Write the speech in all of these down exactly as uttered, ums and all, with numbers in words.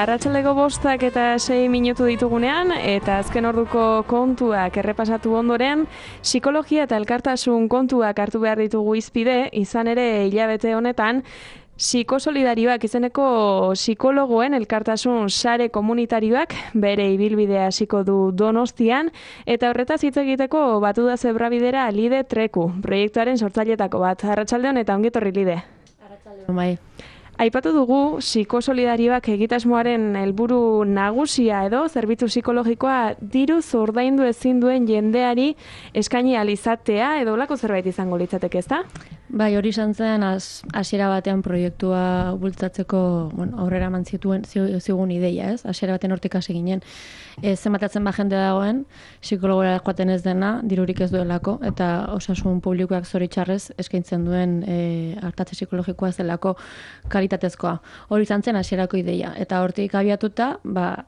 Arratsaldeko bostak eta sei minutu ditugunean, eta azken orduko kontuak errepasatu ondoren, psikologia eta elkartasun kontuak hartu behar ditugu hizpide, izan ere hilabete honetan, psikosolidarioak izeneko psikologoen elkartasun sare komunitarioak bere ibilbidea hasiko du Donostian, eta horretaz hitz egiteko batu da zebrabidera Lide Treku, proiektuaren sortzailetako bat. Arratsaldeon eta ongi etorri Lide. Arratsaldeon bai. Aipatu dugu psikosolidarioak egitasmoaren helburu nagusia edo zerbitzu psikologikoa diruz ordaindu ezin duen jendeari eskaini ahal izatea edo holako zerbait izango litzateke, ezta? Bai, hori izan zen hasiera batean proiektua bultzatzeko, bueno, aurrera eman zituen zigun ideia, ez? Hasiera batean hortik hasi ginen. E, zenbatatzen ba jende dagoen, psikologora joaten ez dena, dirurik ez duelako, eta osasun publikoak zoritxarrez eskaintzen duen e, artatze psikologikoa zelako kalitatezkoa. Hori izan zen hasierako ideia, eta hortik abiatuta, ba,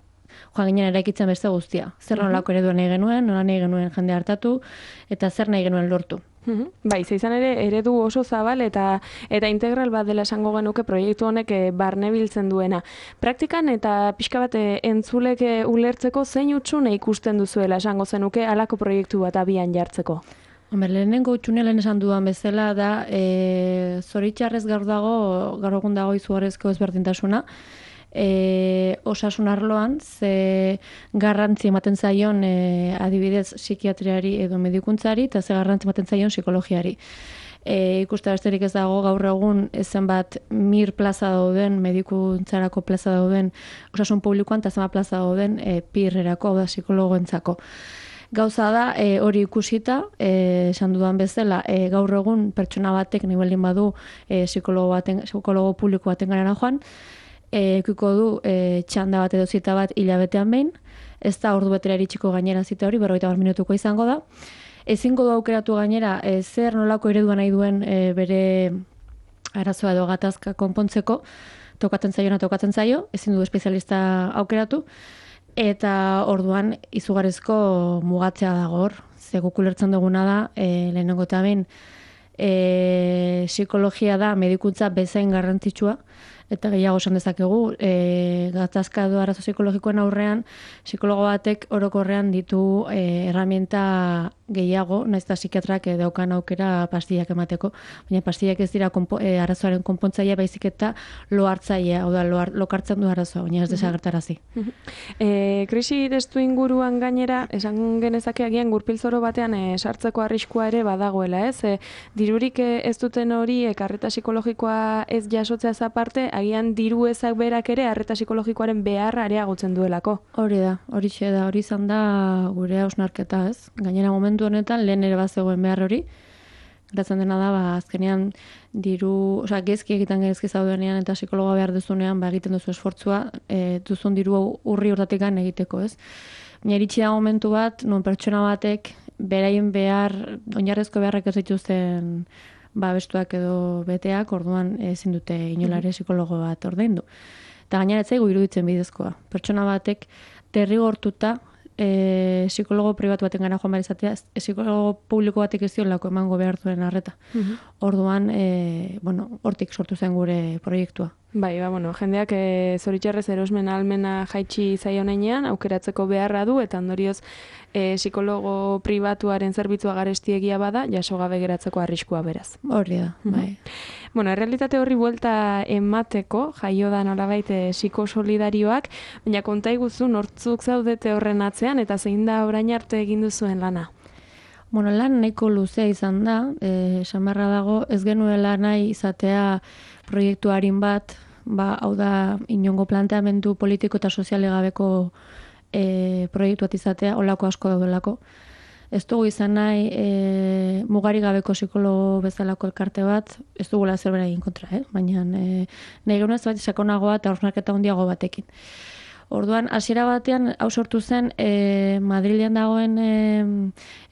joan ginen eraikitzen beste guztia. Zer nolako eredua nahi genuen, nola nahi genuen jende hartatu, eta zer nahi genuen lortu. Bai, izan ere eredu oso zabal eta eta integral bat dela esango genuke proiektu honek barne biltzen duena. Praktikan eta pixka bat entzulek ulertzeko zein hutsune ikusten duzuela esango zenuke halako proiektu bat abian jartzeko? Hombre, lehenengo hutsune lehen esan dudan bezala da e, zoritxarrez gaur dago, gaur egun dago izugarrizko ezberdintasuna. E, osasun arloan, ze garrantzi ematen zaion e, adibidez psikiatriari edo medikuntzari, eta ze garrantzi ematen zaion psikologiari. E, ikuste besterik ez dago gaur egun zenbat mir plaza dauden, medikuntzarako plaza dauden, osasun publikoan, eta zenbat plaza dauden e, pirrerako, hau da psikologoentzako. Gauza da, e, hori ikusita, e, esan dudan bezala, e, gaur egun pertsona batek nahi baldin badu e, psikologo, baten, psikologo publiko baten garana joan, ekiko du e, txanda bat edo zita bat hilabetean behin, ez da ordu betera iritsiko gainera zita hori, berrogeita hamar minutuko izango da. Ezingo du aukeratu gainera, e, zer nolako eredua nahi duen e, bere arazoa edo gatazka konpontzeko, tokatzen zaio, tokatzen zaio, ezin du espezialista aukeratu, eta orduan izugarrizko mugatzea dago hor. Ze guk ulertzen duguna da, e, lehenengo eta behin, e, psikologia da medikuntza bezain garrantzitsua, eta gehiago esan dezakegu, e, gatazka edo arazo psikologikoen aurrean, psikologo batek orokorrean ditu e, erramienta gehiago, nahiz eta psikiatrak daukan aukera pastillak emateko, baina pastillak ez dira konpo, e, arazoaren konpontzailea, baizik eta lo hartzailea, hau da, lo, lokartzen du arazoa, baina ez desagertarazi. E, krisi testu inguruan gainera, esan genezake agian gurpilzoro batean e, sartzeko arriskua ere badagoela, ez? E, dirurik e, ez duten hori, e, arreta psikologikoa ez jasotzea aparte, agian diru ezak berak ere arreta psikologikoaren beharra areagotzen duelako. Hori da, hori da, hori izan da gure hausnarketa, ez? Gainera momentu honetan lehen ere bazegoen behar hori. Gertatzen dena da, ba, azkenean diru, osea, gezki egiten gezki zaudenean eta psikologa behar duzunean, ba, egiten duzu esfortzua, e, duzun diru urri urtatikan egiteko, ez? Baina iritsi da momentu bat, non pertsona batek beraien behar, oinarrezko beharrak ez dituzten ba, bestuak edo beteak, orduan ezin dute inolare psikologo bat ordaindu. Eta gainera ez zaigu iruditzen bidezkoa. Pertsona batek derrigortuta e, psikologo pribatu baten gara joan behar izatea, e, psikologo publiko batek ez diolako emango behar duen arreta. Uh-huh. Orduan, e, bueno, hortik sortu zen gure proiektua. Bai, ba, bueno, jendeak e, zoritxarrez erosmen ahalmena jaitsi zaion heinean, aukeratzeko beharra du, eta ondorioz e, psikologo pribatuaren zerbitzua garestiegia bada, jaso gabe geratzeko arriskua beraz. Hori da, bai. Bueno, errealitate horri buelta emateko, jaio da nolabait e, psikosolidarioak, baina konta iguzu nortzuk zaudete horren atzean, eta zein da orain arte egin duzuen lana? Bueno, lan nahiko luzea izan da, e, esan beharra dago, ez genuela nahi izatea proiektu harin bat, ba, hau da, inongo planteamendu politiko eta soziale gabeko e, proiektu bat izatea, holako asko daudelako. Ez dugu izan nahi e, mugari gabeko psikologo bezalako elkarte bat, ez dugula zerbera egin kontra, eh? Baina e, nahi genuen ez bat sakonagoa eta hausnarketa handiago batekin. Orduan, hasiera batean, hau sortu zen, e, Madrilen dagoen e,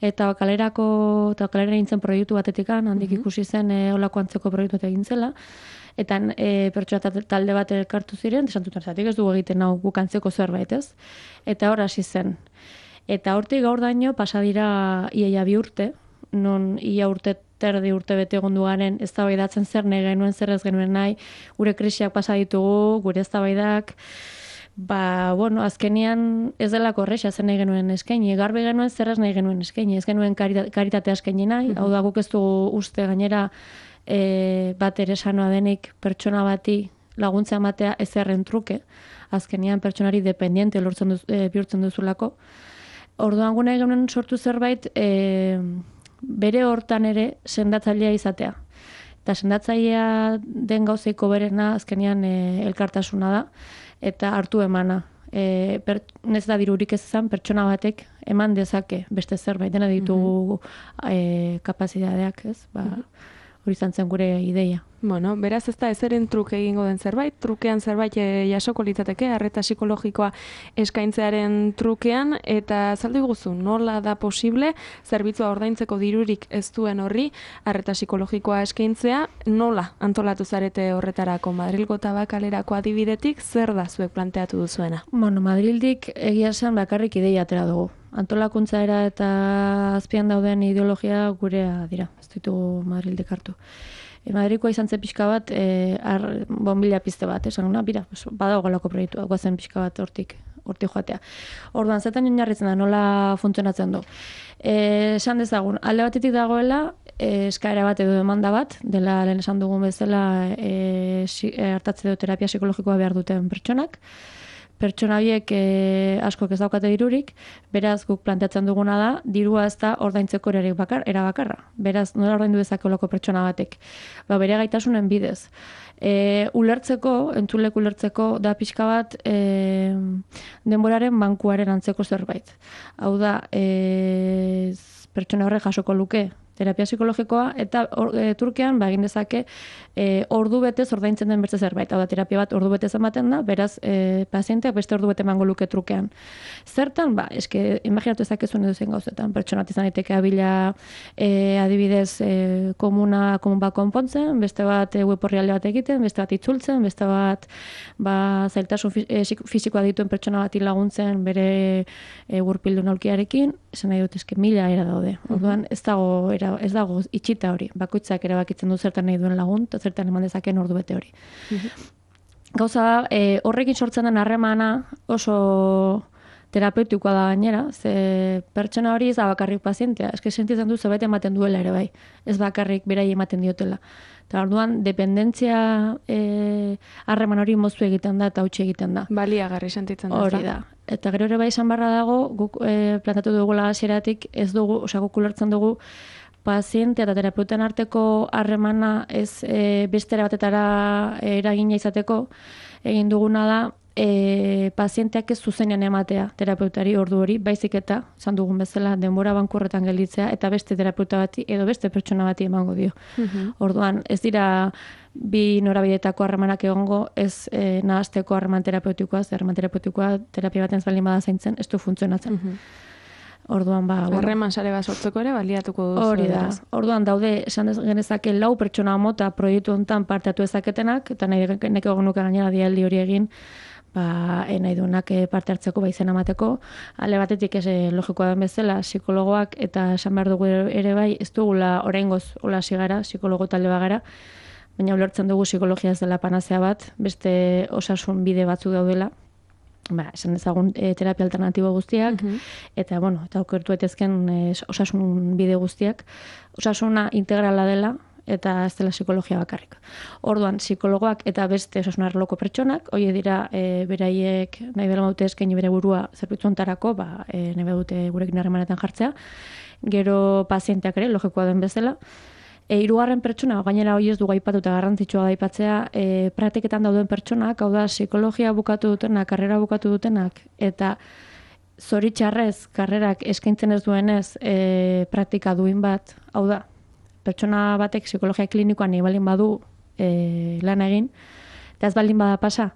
eta kalerako, eta kalera nintzen proiektu batetikan, handik mm-hmm. ikusi zen e, holako antzeko proiektu bat egin zela, eta e, pertsona talde bat elkartu ziren, esantutan zatik ez dugu egiten hau guk antzeko zerbait, ez? Eta hor hasi zen. Eta hortik gaur daño, pasa dira iaia bi urte, non ia urte terdi urte bete egondu garen, eztabaidatzen zer nahi genuen, zer ez genuen nahi, gure krisiak pasa ditugu, gure eztabaidak, Ba, bueno, azkenean ez delako horrexa zen nahi genuen eskaini, garbi genuen zerraz nahi genuen eskaini, ez genuen karita, karitatea eskaini nahi, hau da guk ez dugu uste gainera e, bat ere sanoa denik pertsona bati laguntza ematea ezerren truke, azkenean pertsonari dependiente lortzen duz, e, bihurtzen duzulako. Orduan gune genuen sortu zerbait e, bere hortan ere sendatzailea izatea. Eta sendatzailea den gauzeiko berena azkenean e, elkartasuna da, eta hartu emana. E, per, nez da dirurik ez izan, pertsona batek eman dezake beste zerbait, dena ditugu mm-hmm. e, kapazitateak, ez? Ba, hori izan zen gure ideia. Bueno, beraz ez da ezeren truke egingo den zerbait, trukean zerbait e, jasoko litzateke, arreta psikologikoa eskaintzearen trukean, eta azaldu iguzu, nola da posible, zerbitzua ordaintzeko dirurik ez duen horri, arreta psikologikoa eskaintzea, nola antolatu zarete horretarako Madrilgo Tabakalerako adibidetik, zer da zuek planteatu duzuena? Bueno, Madrildik egia esan bakarrik ideia atera dugu. Antolakuntzaera eta azpian dauden ideologia gurea dira, ez ditugu Madrildik hartu. E, Madrikoa izan zen pixka bat, e, ar, bonbila pizte bat, esan guna, bira, badago galako proiektua, guazen pixka bat hortik, hortik joatea. Orduan, zetan oinarritzen da, nola funtzionatzen du. E, esan dezagun, alde batetik dagoela, e, eskaera bat edo demanda bat, dela lehen esan dugun bezala e, si, e, hartatze edo terapia psikologikoa behar duten pertsonak, pertsona horiek e, askok ez daukate dirurik, beraz guk planteatzen duguna da, dirua ez da ordaintzeko erarik bakar, era bakarra. Beraz, nola ordaindu dezakeolako pertsona batek. Ba, bere gaitasunen bidez. E, ulertzeko, entzulek ulertzeko, da pixka bat e, denboraren bankuaren antzeko zerbait. Hau da, e, pertsona horrek jasoko luke terapia psikologikoa, eta or, e, Turkian ba, egin dezake e, ordu betez ordaintzen den beste zerbait. Hau da, terapia bat ordu betez ematen da, beraz, e, pazienteak beste ordu bete emango luke trukean. Zertan, ba, eske, imaginatu ezakezuen edo zen gauzetan, pertsona bat izan daiteke abila e, adibidez e, komuna, komun bat konpontzen, beste bat e, web orrialde bat egiten, beste bat itzultzen, beste bat ba, zailtasun fisikoa dituen pertsona bati laguntzen bere e, gurpildun aulkiarekin, esan nahi dut eske mila era daude. Orduan, ez dago ez dago itxita hori, bakoitzak erabakitzen du zertan nahi duen lagun, eta zertan eman dezakeen ordu bete hori. Gauza da, e, horrekin sortzen den harremana oso terapeutikoa da gainera, ze pertsona hori ez da bakarrik pazientea, eske sentitzen du zerbait ematen duela ere bai, ez bakarrik berai ematen diotela. Eta orduan, dependentzia harreman hori moztu egiten da eta hautsi egiten da. Baliagarri sentitzen da. Hori da. Eta gero ere bai esan barra dago, guk e, plantatu dugula hasieratik ez dugu, osea guk ulertzen dugu, paziente eta terapeuten arteko harremana ez e, bestera batetara eragina izateko, egin duguna da e, pazienteak ez zuzenean ematea terapeutari ordu hori, baizik eta, esan dugun bezala, denbora bankurretan gelditzea eta beste terapeuta bati edo beste pertsona bati emango dio. Uh-huh. Orduan, ez dira bi norabidetako harremanak egongo, ez e, nahasteko harreman terapeutikoa, ze harreman terapeutikoa terapia baten baldin bada zaintzen, ez du funtzionatzen. Uh-huh. Orduan, ba, harreman sare bat sortzeko ere baliatuko duzu. Hori da. Orduan daude, esan genezake lau pertsona mota proiektu hontan parte hartu ezaketenak, eta nahi neko genuke gainera dialdi hori egin, ba, e, nahi duenak parte hartzeko, ba, izena emateko. Ale batetik ez logikoa den bezala, psikologoak eta esan behar dugu ere bai, ez dugula oraingoz hola sigara, psikologo talde bagara, baina ulertzen dugu psikologia ez dela panazea bat, beste osasun bide batzu daudela. Ba, esan ezagun e, terapia alternatibo guztiak, uh-huh. eta, bueno, eta okertu etezken e, osasun bide guztiak. Osasuna integrala dela, eta ez dela psikologia bakarrik. Orduan, psikologoak eta beste osasun arloko pertsonak, hori dira, e, beraiek nahi bela maute eskaini bere burua zerbitzu hontarako, ba, e, nahi dute gurekin harremanetan jartzea. Gero pazienteak ere, logikoa den bezala. E, hirugarren pertsona, gainera hori ez du gaipatu eta garrantzitsua da aipatzea, e, praktiketan dauden pertsonak, hau da, psikologia bukatu dutenak, karrera bukatu dutenak, eta zoritxarrez, karrerak eskaintzen ez duenez e, praktika duin bat, hau da, pertsona batek psikologia klinikoan nahi baldin badu e, lan egin, eta ez baldin bada pasa,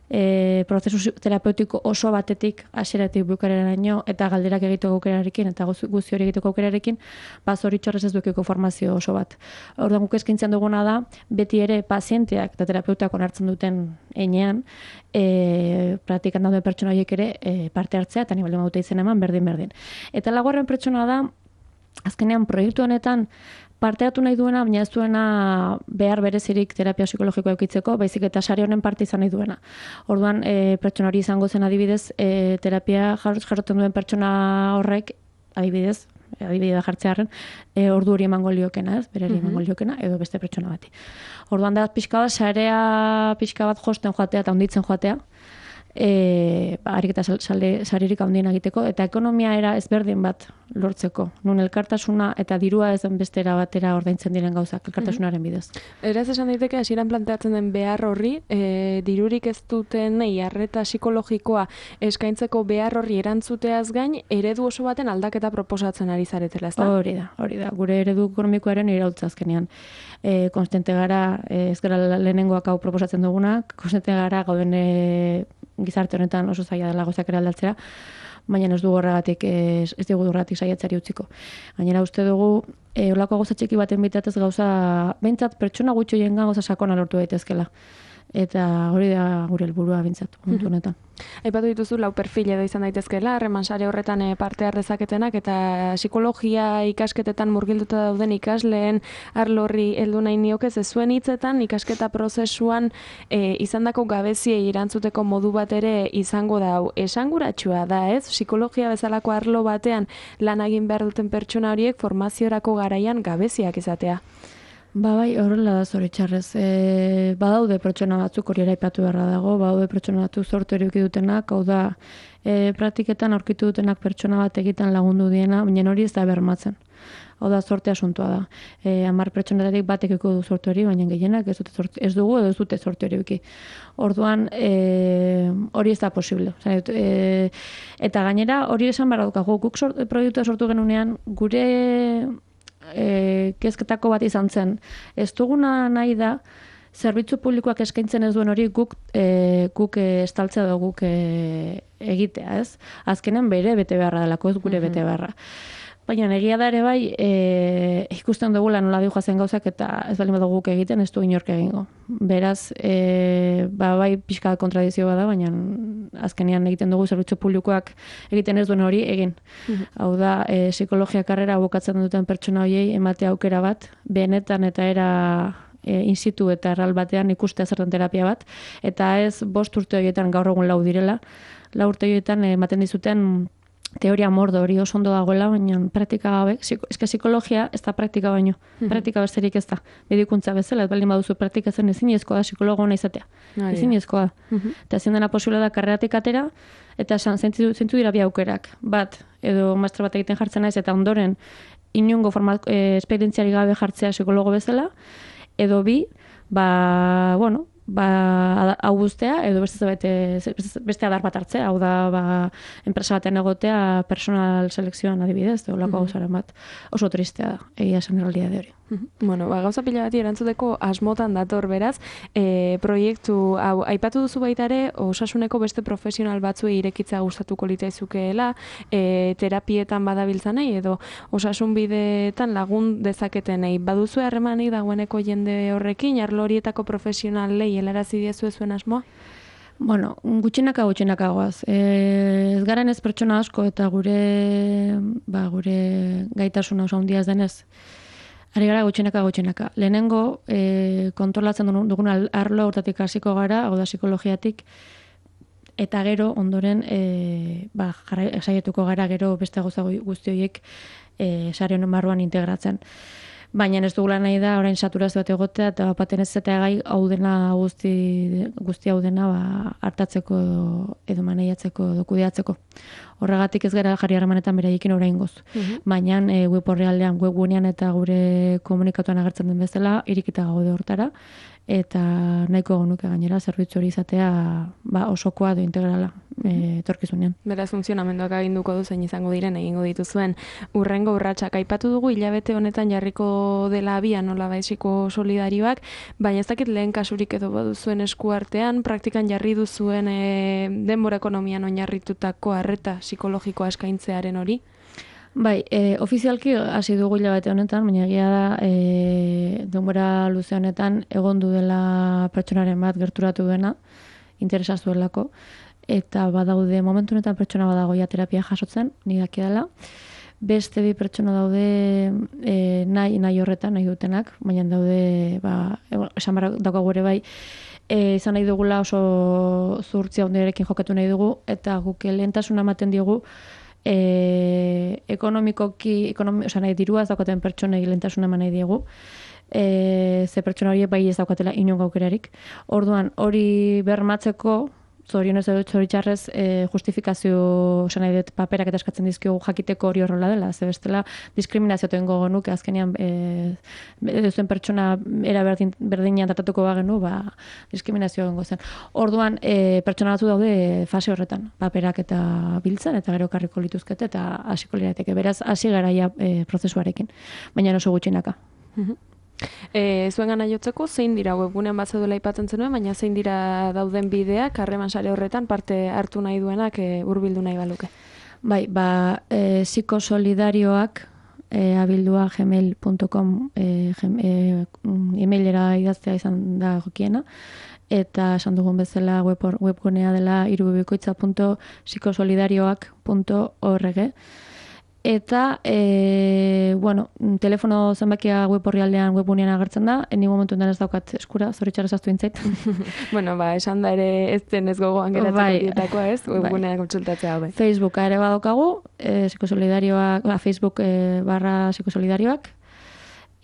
E, prozesu terapeutiko oso batetik hasieratik bukaeraraino eta galderak egiteko aukerarekin eta guzti hori egiteko aukerarekin, ba zoritxarrez ez dukiko formazio oso bat. Orduan guk eskaintzen duguna da, beti ere pazienteak eta terapeutak onartzen duten heinean, e, praktikan dauden pertsona horiek ere e, parte hartzea eta ni baldin badute izen eman berdin berdin. Eta laugarren pertsona da, azkenean proiektu honetan parte hartu nahi duena, baina ez duena behar berezirik terapia psikologikoa eukitzeko, baizik eta sare honen parte izan nahi duena. Orduan, e, pertsona hori izango zen adibidez, e, terapia jarroten duen pertsona horrek, adibidez, adibidea jartzearen, e, ordu hori emango liokena, ez? Berari emango liokena, edo beste pertsona bati. Orduan da, pixka bat, sarea pixka bat josten joatea eta onditzen joatea, e, ba, harik eta saririk handien egiteko, eta ekonomia era ezberdin bat lortzeko. Nun elkartasuna eta dirua ez den bestera batera ordaintzen diren gauzak, elkartasunaren bidez. Eraz esan daiteke, hasieran planteatzen den behar horri, e, dirurik ez duten arreta psikologikoa eskaintzeko behar horri erantzuteaz gain, eredu oso baten aldaketa proposatzen ari zaretela, ezta? Hori da, hori da. Gure eredu ekonomikoaren iraultza azkenean. E, konstante gara, e, ez gara lehenengoak hau proposatzen dugunak, konstante gara gauden e, gizarte honetan oso zaila dela gauzak eraldatzea, baina ez dugu horregatik, ez, ez dugu horregatik saiatzari utziko. Gainera uste dugu, e, olako gauza txiki baten bitatez gauza, behintzat pertsona gutxo jengan gauza sakona lortu daitezkela. Eta hori da gure helburua behintzat, momentu honetan. Aipatu dituzu lau perfil edo izan daitezkeela, harreman sare horretan parte har dezaketenak, eta psikologia ikasketetan murgilduta dauden ikasleen arlo horri heldu nahi nioke, ze zuen hitzetan ikasketa prozesuan e, izandako gabeziei erantzuteko modu bat ere izango da hau. Esanguratsua da, ez? Psikologia bezalako arlo batean lan egin behar duten pertsona horiek formaziorako garaian gabeziak izatea. Ba bai, horrela da zoritxarrez. E, badaude pertsona batzuk hori eraipatu beharra dago, badaude pertsona batzuk zorte hori dutenak, hau da, e, praktiketan aurkitu dutenak pertsona bat egiten lagundu diena, baina hori ez da bermatzen. Hau da, zorte asuntua da. E, Hamar pertsonetatik batek eko du zorte hori, baina gehienak ez, dute zorte, ez dugu edo ez dute zorte hori euki. Orduan, e, hori ez da posible. E, eta gainera, hori esan behar daukagu, guk sort, proiektua sortu genunean, gure E, kezketako bat izan zen. Ez duguna nahi da, zerbitzu publikoak eskaintzen ez duen hori guk, e, guk e, estaltzea da guk e, egitea, ez? Azkenen bere bete beharra delako, ez gure bete beharra. Baina egia da ere bai, e, ikusten dugula nola dihoa zen gauzak eta ez bali badugu guk egiten, ez du inork egingo. Beraz, e, ba, bai pixka kontradizio bada, baina azkenean egiten dugu zerbitzu publikoak egiten ez duen hori egin. Hau da, e, psikologia karrera bukatzen duten pertsona horiei emate aukera bat, benetan eta era e, in situ eta erral batean ikustea zertan terapia bat, eta ez bost urte horietan gaur egun lau direla, lau urte horietan ematen dizuten teoria mordo hori oso ondo dagoela, baina praktika gabe, eske psikologia ez da praktika baino, praktika besterik ez da. Medikuntza bezala, ez baldin baduzu praktikatzen ezinezkoa da psikologo ona izatea. Ezinezkoa da. Eta ezin dena posible da karreratik atera, eta esan zentzu dira bi aukerak. Bat, edo master bat egiten jartzen naiz, eta ondoren inongo forma, e, esperientziari gabe jartzea psikologo bezala, edo bi, ba, bueno, ba, hau guztea, edo beste, beste, beste adar bat hartzea, hau da, ba, enpresa batean egotea personal selekzioan adibidez, edo lako gauzaren bat, oso tristea da, egia esan errealidade hori. Bueno, ba, gauza pila bati erantzuteko asmotan dator beraz, e, proiektu, hau, aipatu duzu baita ere, osasuneko beste profesional batzuei irekitza gustatuko litaizukeela, e, terapietan badabiltzanei, edo osasun bideetan lagun dezaketenei. Baduzu harremanik dagoeneko jende horrekin, arlo horietako profesionalei helarazi diezu zuen asmoa? Bueno, gutxinaka gutxinaka goaz. E, ez garen ez pertsona asko eta gure, ba, gure gaitasuna oso handia ez denez, ari gara gutxinaka gutxinaka. Lehenengo, e, kontrolatzen dugun arlo hortatik hasiko gara, hau da psikologiatik, eta gero ondoren e, ba, saietuko gara gero beste gauza guzti horiek e, sare honen barruan integratzen. Baina ez dugula nahi da orain saturazio bat egotea eta baten ez zetea gai hau dena guzti, guzti hau dena ba, hartatzeko edo, edo maneiatzeko edo kudeatzeko. Horregatik ez gara jarri harremanetan beraiekin oraingoz. Uh-huh. Baina e, web orrialdean, webgunean eta gure komunikatuan agertzen den bezala irikita gaude hortara eta nahiko genuke gainera zerbitzu hori izatea ba, osokoa edo integrala e, etorkizunean. Beraz funtzionamenduak aginduko du zein izango diren egingo dituzuen urrengo urratsak. Aipatu dugu hilabete honetan jarriko dela abian nolabait psiko solidarioak, baina ez dakit lehen kasurik edo baduzuen eskuartean, praktikan jarri duzuen e, denbora ekonomian oinarritutako arreta psikologikoa eskaintzearen hori? Bai, e, ofizialki hasi dugu hilabete honetan, baina egia da e, denbora luze honetan egondu dela pertsonaren bat gerturatu dena, interesa zuelako, eta badaude momentu honetan pertsona badagoia terapia jasotzen, ni daki dela, beste bi pertsona daude e, nahi, nahi horretan, nahi dutenak, baina daude, ba, esan barra daukagu ere bai, e, izan nahi dugula oso zuhurtzia honderekin jokatu nahi dugu, eta guk lehentasuna ematen diogu, e, ekonomikoki, ekonomi, oza, nahi dirua ez daukaten pertsonei lehentasuna eman nahi diegu, e, ze pertsona horiek bai ez daukatela inongo aukerarik. Orduan, hori bermatzeko, zorionez edo zoritxarrez e, justifikazio esan nahi dut paperak eta eskatzen dizkiogu jakiteko hori horrela dela, ze bestela diskriminazio tengo genuke azkenean e, zuen pertsona era berdin, berdinean tratatuko bagenu, ba, diskriminazio gengo zen. Orduan, e, pertsona batzu daude fase horretan, paperak eta biltzen, eta gero karriko lituzkete, eta hasiko lirateke. Beraz, hasi garaia e, prozesuarekin, baina oso gutxinaka. E, zuen gana jotzeko, zein dira webgunean bat zeduela aipatzen zenuen, baina zein dira dauden bideak, harreman sare horretan parte hartu nahi duenak e, hurbildu nahi baluke? Bai, ba, e, psikosolidarioak e, abildua gmail punto com e, e, emailera idaztea izan da jokiena, eta esan dugun bezala web, webgunea dela irubikoitza punto psikosolidarioak punto org. Eta, e, bueno, telefono zenbakia web horrialdean webunean agertzen da, eni momentu enten ez daukat eskura, zoritxarrez aztu intzait. Bueno, ba, esan da ere ez den ez gogoan geratzen bai, dietakoa ez, webunean bai. Kontsultatzea bai. Facebooka ere badokagu, e, psikosolidarioak, ba, Facebook e, barra psikosolidarioak,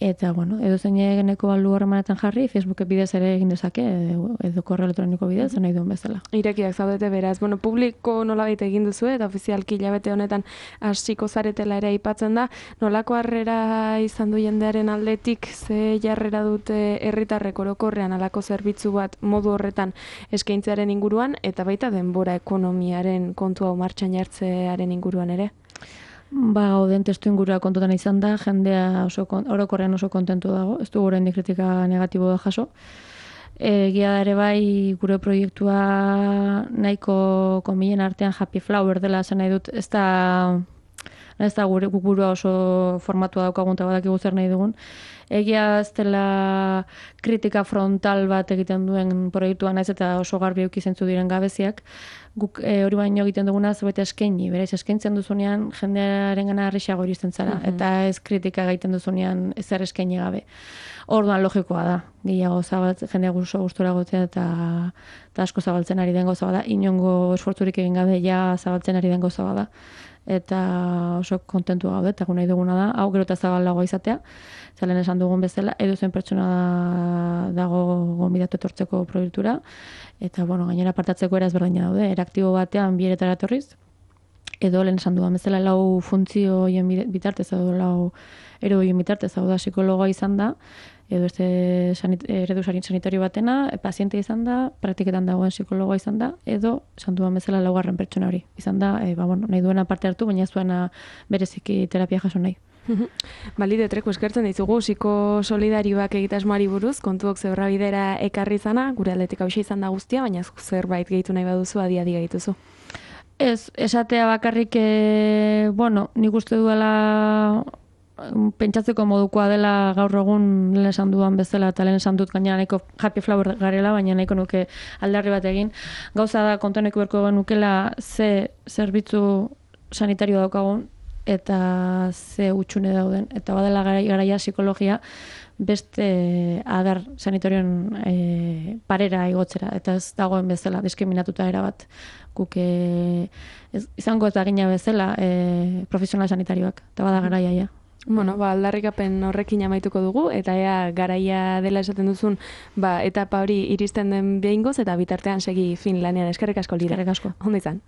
eta, bueno, edo zein egeneko balu horremanetan jarri, Facebook bidez ere egin dezake, edo, edo korreo elektroniko bidez, nahi duen bezala. Irekiak zaudete beraz, bueno, publiko nolabait egin duzu eta ofizialki hilabete honetan hasiko zaretela ere aipatzen da, nolako harrera izan du jendearen aldetik, ze jarrera dute herritarrek orokorrean alako zerbitzu bat modu horretan eskaintzearen inguruan, eta baita denbora ekonomiaren kontua martxan jartzearen inguruan ere? Ba, gauden testu ingurua kontutan izan da, jendea oso, orokorrean oso kontentu dago, ez du oraindik kritika negatibo da jaso. Egia ere bai gure proiektua nahiko konbilen artean happy flower dela esan nahi dut, ez da, ez da gure burua oso formatua daukagun eta badakigu zer nahi dugun. Egia ez dela kritika frontal bat egiten duen proiektua naiz eta oso garbi eduki zentzu diren gabeziak. Guk e, hori baino egiten duguna zerbait eskaini, bereiz eskaintzen duzunean jendearen gana harrixago iristen zara, mm-hmm. eta ez kritika egiten duzunean ezer eskaini gabe. Orduan logikoa da, gehiago zabaltzen, jendea oso gustora gotzea eta, eta asko zabaltzen ari den gauza bada, inongo esfortzurik egin gabe ja zabaltzen ari den gauza bada. Eta oso kontentu gaude, eta nahi duguna da, hau gero eta zabalagoa izatea, zelen esan dugun bezala, edo zen pertsona dago gonbidatu etortzeko proiektura, eta bueno, gainera partatzeko eraz berdina daude, eraktibo batean bieretara etorriz, edo lehen esan dugun bezala lau funtzio hoien bitartez, edo lau ero hoien bitartez, hau da psikologoa izan da, edo este sanit, eredu sanitario batena, paziente izan da, praktiketan dagoen psikologoa izan da, edo esan duan bezala laugarren pertsona hori. Izan da, e, ba, bueno, nahi duena parte hartu, baina ez duena bereziki terapia jaso nahi. Balide treko eskertzen dizugu psikosolidarioak egitasmoari buruz, kontuok zeurra bidera ekarri zana, gure aldetik hausia izan da guztia, baina zerbait gehitu nahi baduzu, adi-adi gehituzu. Ez, esatea bakarrik, e, bueno, nik uste duela pentsatzeko modukoa dela gaur egun lehen esan duan bezala eta lehen esan dut gainera nahiko happy flower garela, baina nahiko nuke aldarri bat egin. Gauza da kontuaneko berko nukela ze zerbitzu sanitario daukagun eta ze utxune dauden. Eta badela garaia psikologia beste adar sanitarioen e, parera igotzera. Eta ez dagoen bezala diskriminatuta erabat. Guk e, ez, izango eta gina bezala e, profesional sanitarioak. Eta bada garaia ja. Bueno, ba, aldarrikapen horrekin amaituko dugu, eta ea garaia dela esaten duzun, ba, etapa hori iristen den behingoz, eta bitartean segi fin lanean. Eskerrik asko, Lira. Eskerrik asko. Ondo izan.